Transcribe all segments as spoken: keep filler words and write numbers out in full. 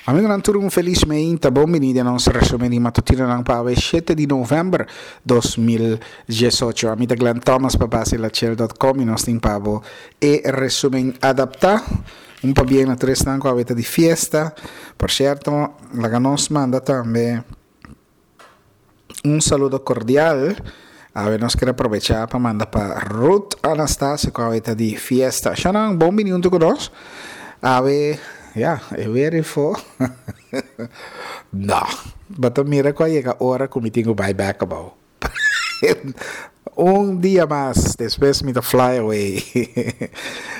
Amigonan tur, un felis mainta. Bon bini den nos resumen di matutinonan pa shete di november dos mil diesocho. Ami ta Glenn Thomas pa Basilachel punto com y nos tin pa bo e resumen adapta. Un pabien na tur esnan cu ta di fiesta. Por cierto, laga nos manda tambe un saludo cordial. Awe nos kier aprovecha pa manda pa Ruth Anastasia, cu ta di fiesta. Shanan, bon bini hunto cu nos. Awe, ja, e weer fo. No, but mira cu yega ora cu mi tin cu bai back abou. Un dia mas, despues mi ta fly away.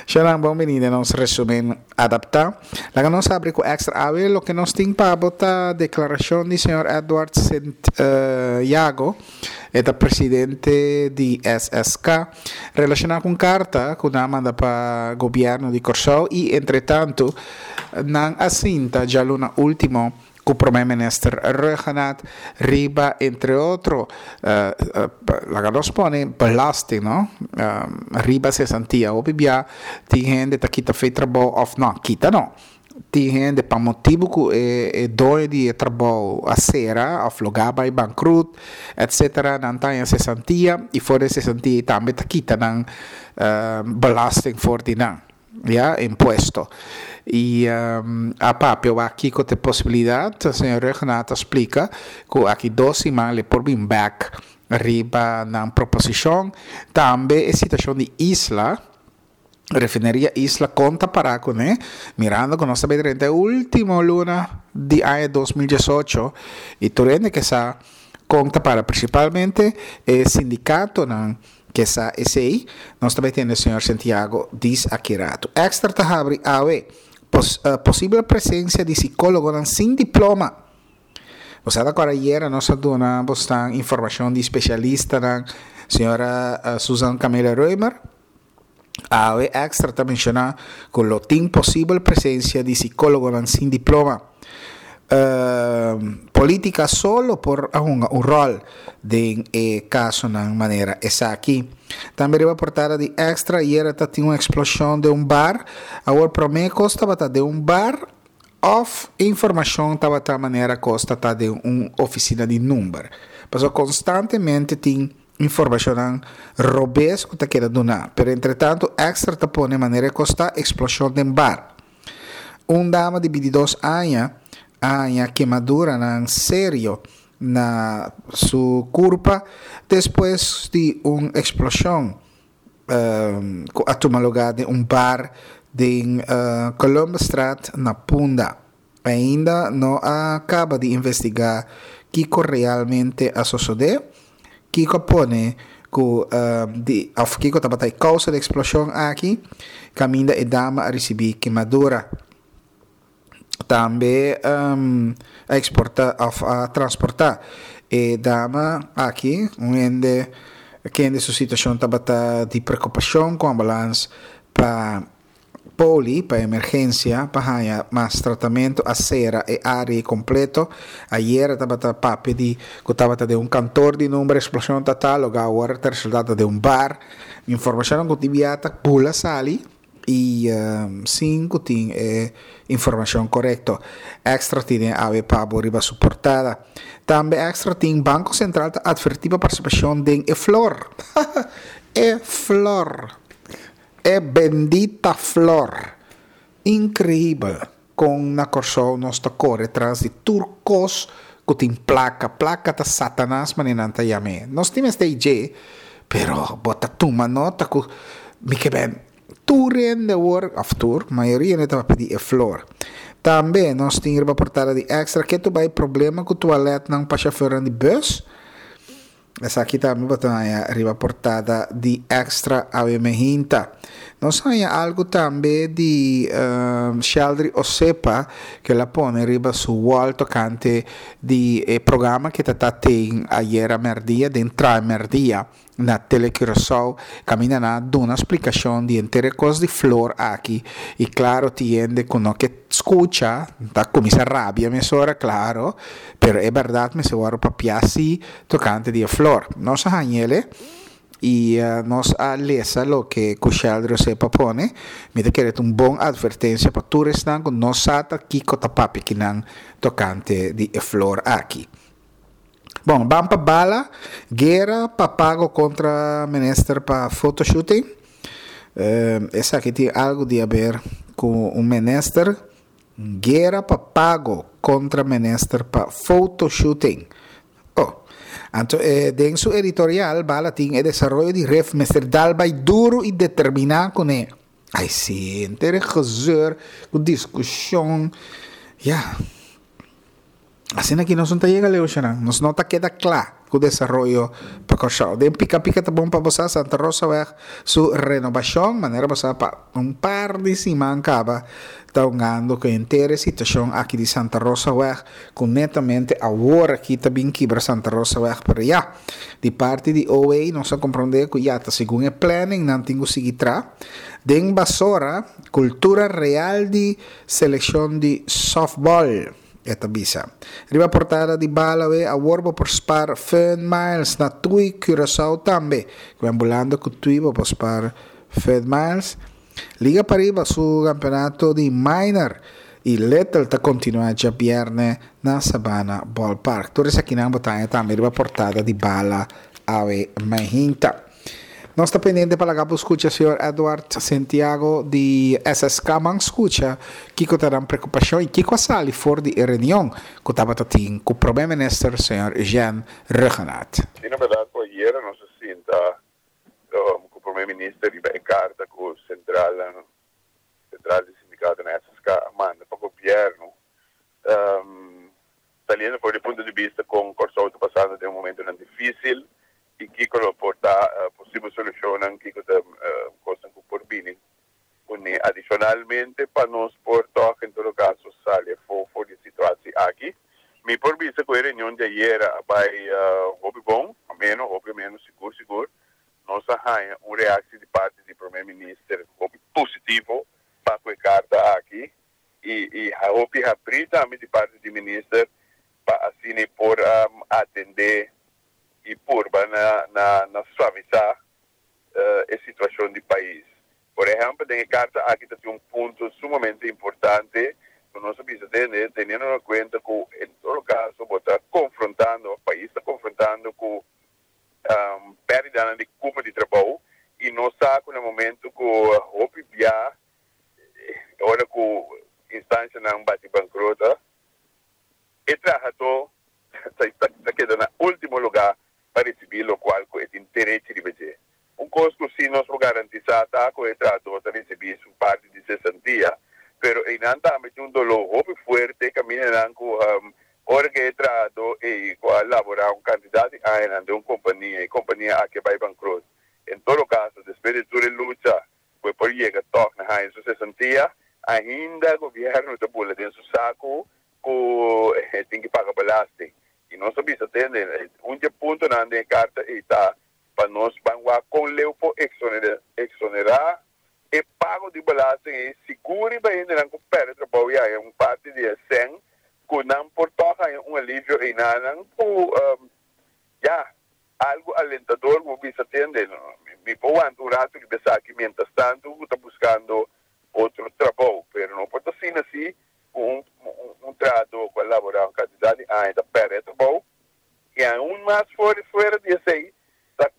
Shanan, bon bini den nos resumen adapta. Laga nos habri cu Extra. Awe, loke nos tin pa bo ta declaracion di señor Edward Sint uh, Jago, e presidente di S S K, relaciona cu carta cu nan a manda pa gobierno di Corsou y entretanto nan a sinta dialuna ultimo cu prome minister Rhuggenaath riba, entre otro, uh, uh, laga nos pone belasting, no? Um, riba cesantia. Hopi bia tin hende ta kita fo'i trabou of no, kita no. Tin hende pa motibo cu e, e doño di trabou a cera of logra bay bankrut, et cetera. Nan ta cesantia y for di cesantia tambe ta kita nan uh, belasting for di nan. Ja, impuesto. Y um, a papia aki cu e posibilidad, señor Rhuggenaath a splica cu aki dos siman e por bin back riba nan proposicion. Tambe e situacion di Isla, refineria Isla, con ta para cune, mirando cu nos ta den e ultimo luna di aña dos mil diesocho y tur hende kier sa con ta para, principalmente e sindicatonan kier sa esey. Nos tambe tin señor Santiago dis aki rato. Extra ta habri awe pos, uh, posibel presencia di psicologo sin diploma. Osea, awor ayera nos a duna informacion di especialista, señora uh, Susan Camila Reumer. Awe Extra ta menciona cu lo tin posibel presencia di psicologo sin diploma. Uh, politica solo por un, un rol den e caso na manera esaki. Tambe riba portada di Extra, ayera tin un explosion den un bar. Awor prome cos tabata den un bar of informacion tabata manera cos ta den un oficina di number. Paso constantemente tin informacion robes cu ta keda duna. Pero entretanto Extra ta pone manera cos ta, explosion den bar. Un dama di bintidos aña a haya kemaduranan serio na su curpa despues di un explosion um, a tuma luga den un bar di uh, Columbusstraat na Punda. Ainda no a caba di investiga kico realmente a sucede, kico pone cu uh, di of kico tabata e causa di explosion aki, caminda e dama a ricibi kemadura. Tambe um, a exporta of a transporta e dama aki, un hende cu su situacion tabata di preocupacion, cu ambulance pa poli, pa emergencia, pa haya mas tratamento. A cera e area completo. Ayera tabata papia di cu tabata den un kantoor di number explosion total, awor ta resulta den un bar. Informacion cu ta bula sali y um, sin cu tin eh, informacion corecto. Extra tin awe pa bo riba su portada. Tambe Extra tin: Banco Central ta adverti pa participacion den e flor. E flor. E bendita flor. Increibel. Con na Corsou nos ta core tras di tur cos cu tin placa. Placa ta Satanas, manera nan ta yam'e. Nos tin este I G, pero bo ta tuma nota cu mi ke ben tur hende awor, of tur, mayoria ta pidi e flor. Tambe nos tin riba portada di Extra cu ta bay problema cu toilet nan pa chauffeur di bus. Esaki tambe bo ta riba portada di Extra awe mainta. Nos tin algo tambe di um, Sheldry Osepa cu el a pone riba su wall tocante di eh, programa cu ta tin ayera merdia, den Tramerdia na Tele Curaçao, caminda nan a duna splicacion di henter cos di flor aki y claro, tin hende cu no kier scucha, ta cuminsa rabia mesora, claro, pero e berdad mester wordo papia si tocante di flor. Nos a hañ'ele. I uh, nos a lesa loke Kushel Rosepa pone. Mi ta kere un bon atvertensia pa tur esnan ku no sa ta kiko ta papia akinan tokante di e flor aki. Bon, ban pa Bala, guera pa pago kontra minister pa photoshooting. Uh, esaki tin algu di haber ku un minister. Guera pa pago kontra minister pa photoshooting. Oh, anto, eh, den su editorial, Bala tin e desaroyo di Rif mester dal bai duru i determiná kuné. Ai, si, henter gezeur, ku diskushon. Ja. Asina aki nos no ta yega leu, nos no ta keda kla ku desaroyo pa Kòrsou. Den pika pika ta bon pa bo, Santa Rosa Weg su renobashon, manera bo pa un par di siman kaba ta hungando ku henter situashon aki di Santa Rosa Weg, ku netamente awor aki ta bin kibra Santa Rosa Weg, pero ya, di parti di O W nos a komprondé ku ya ta segun e planning nan tin ku sigui tra. Den Basora, kultura real di selekshon di softball e ta bisa. Riba portada di Bala we awor bo por spar Fun Miles na TUI Curaçao tambe. Ku ambulando ku TUI bo por spar Fun Miles. Liga Pariba su kampeonato di minor i Little ta kontinuá djabièrnè na Sabana Ballpark. Tur esakinan bo ta haña tambe riba portada di Bala awe mainta. Nos ta pendiente pa laga skucha señor Edward Santiago di S S K. Ban skucha kiko ta nan preokupashon i kiko a sali for di reunion ku tabatin ku promé minister señor Jean Rhuggenaath. Si, na berdat, ayera nos a sinta um, ku promé minister riba e karta ku sentral sentral di sindikato na S S K a manda pa gobièrnu. Um, saliendo for di punto di bista kon Kòrsou ta pasando den un momento difísil i kiko lo por ta uh, posibel solushon, kiko ta uh, kos ku por bini. Adishonalmente, pa nos por toch, en todo kaso, sali for for di e situashon aki. Mi por bisa ku e reunion di ayera a bai uh, hopi bon, menos, hopi menos, sigur, sigur. Nos a haña un reakshon di parti di promé minister hopi positivo pa e karta aki i i hopi habrí tambe di parti di minister pa asina por um, atendé i purba na na na suavisá uh, e situashon di pais. Por ehèmpel, den e karta aki tin un punto sumamente importante ku nos mester tene, teniendo en kuenta ku, en todo kaso, ta konfrontando, e pais ta konfrontando ku um, pèrdida di kupo di trabou i nos sa ku na momento ku hopi bia, ora ku instansianan bati bankrota, e trahadó ta keda na último lugá pa risibí loke ku e tin derecho di risibí. Un kos ku si nos por garantisá ta ku e trahadó ta risibí su parti di sesantia, pero einan tambe tin un doló hopi fuerte kaminda ku um, ora ku e trahadó e ku a laborá un kantidat di aña den un kompania, e kompania aki bai bankrot. En todo kaso, despues di tur lucha, por yega toch na su sesantia, ainda gobièrnu ta bula den su saku ku tin ku paga belasting. I nos a bisa tende, un punto na e karta ta pa nos ban kon leu por eksonerá e pago di belasting i sigur pa hendenan ku pèrdè trabou i un parti di sèn ku nan por toch un alivio i nan ku um, ya algu alentador ku bisa tende mi por un ratu ku pensa ku mientras tantu ta buskando otro trabou, pero no por asina asina un un, un trahadó ku a laborá un kantidat di aña ta pèrdè trabou i aun mas fuera fuera di esei ta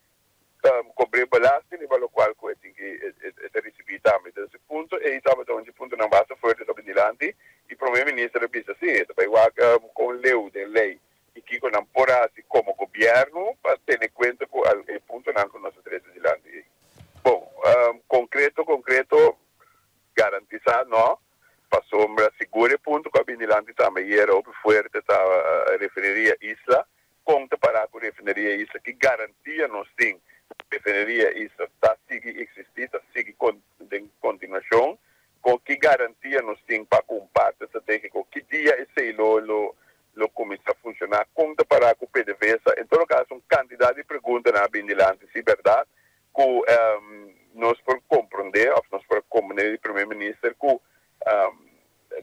um, kobra belasting i loke ku tin ku risibí tambe. Anto, e punto ei tabata un puntonan basta fuerte ta dilanti i promé minister a bisa si, ta bai kon leu den lei i kiko nan por hasi komo gobièrnu pa tene kuenta ku e puntonan ku nos a trese dilanti. Bon, um, konkreto, konkreto, garantisá no, pasombra sigur e punto ku a bini dilanti tambe ayera fuerte ta uh, refineria Isla, kon ta para ku refineria Isla, ki garantia nos tin refineria Isla ta sigui eksistí, ta sigui den kontinuashon, ku ki garantia nos tin pa ku parti estratégiko, ki dia esei lo lo lo kuminsá funshoná, kon ta para ku P D V S A. En todo kaso, un kantidat di pregunta a bini dilanti, si berdat, ku um, nos por komprondé, òf nos por komprondé di promé minister ku um,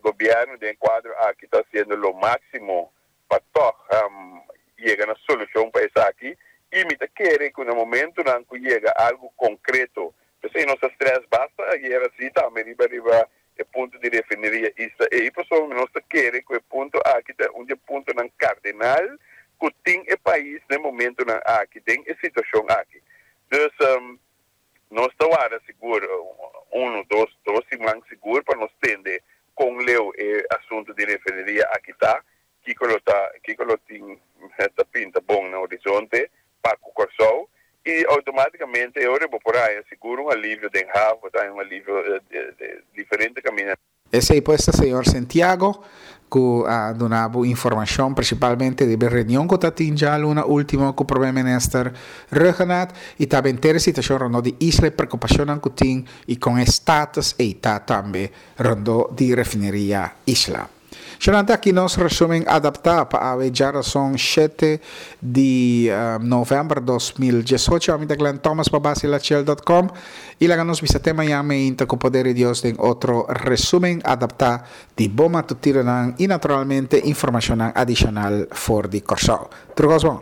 gobièrnu den kuadro aki ta hasiendo lo máksimo pa toch um, yega na solushon pa esaki i mi ta kere ku na momentonan ku yega algu konkreto, p'esei nos a stress basta ayera si tambe riba riba e punto di refineria Isla ei, pasobra nos ta kere ku e punto aki ta un di e puntonan kardinal ku tin e pais na e momentonan aki den e situashon aki. Dus nos ta warda sigur unu, dos, dos siman sigur pa nos tende kon leu e asuntu di refineria aki ta, kiko lo ta, kiko lo tin ta pinta bon na horizonte pa ku Kòrsou i outomátikamente e ora bo por haña sigur un alivio den haf, bo ta haña un alivio di diferente kaminda. Esei pues ta señor Sentiago ku a duna bo informashon prinsipalmente riba e reunion ku ta tin djaluna ultimo ku Prome Minister Rhuggenaath i ta benter e situashon rondó di isla e preokupashonnan ku tin i kon e status ei ta tambe rondó di refineria Isla. Shonante aki nos resumen adaptá pa awe djarason shete di novèmber dos mil diesocho. Ami ta Glenn Thomas pa Basilachel dot com i laga nos bisa te mañan meinta ku poder di Dios den otro resumen adaptá di bo matutinonan i naturalmente informashonnan adishonal for di Kòrsou. Tur kos bon.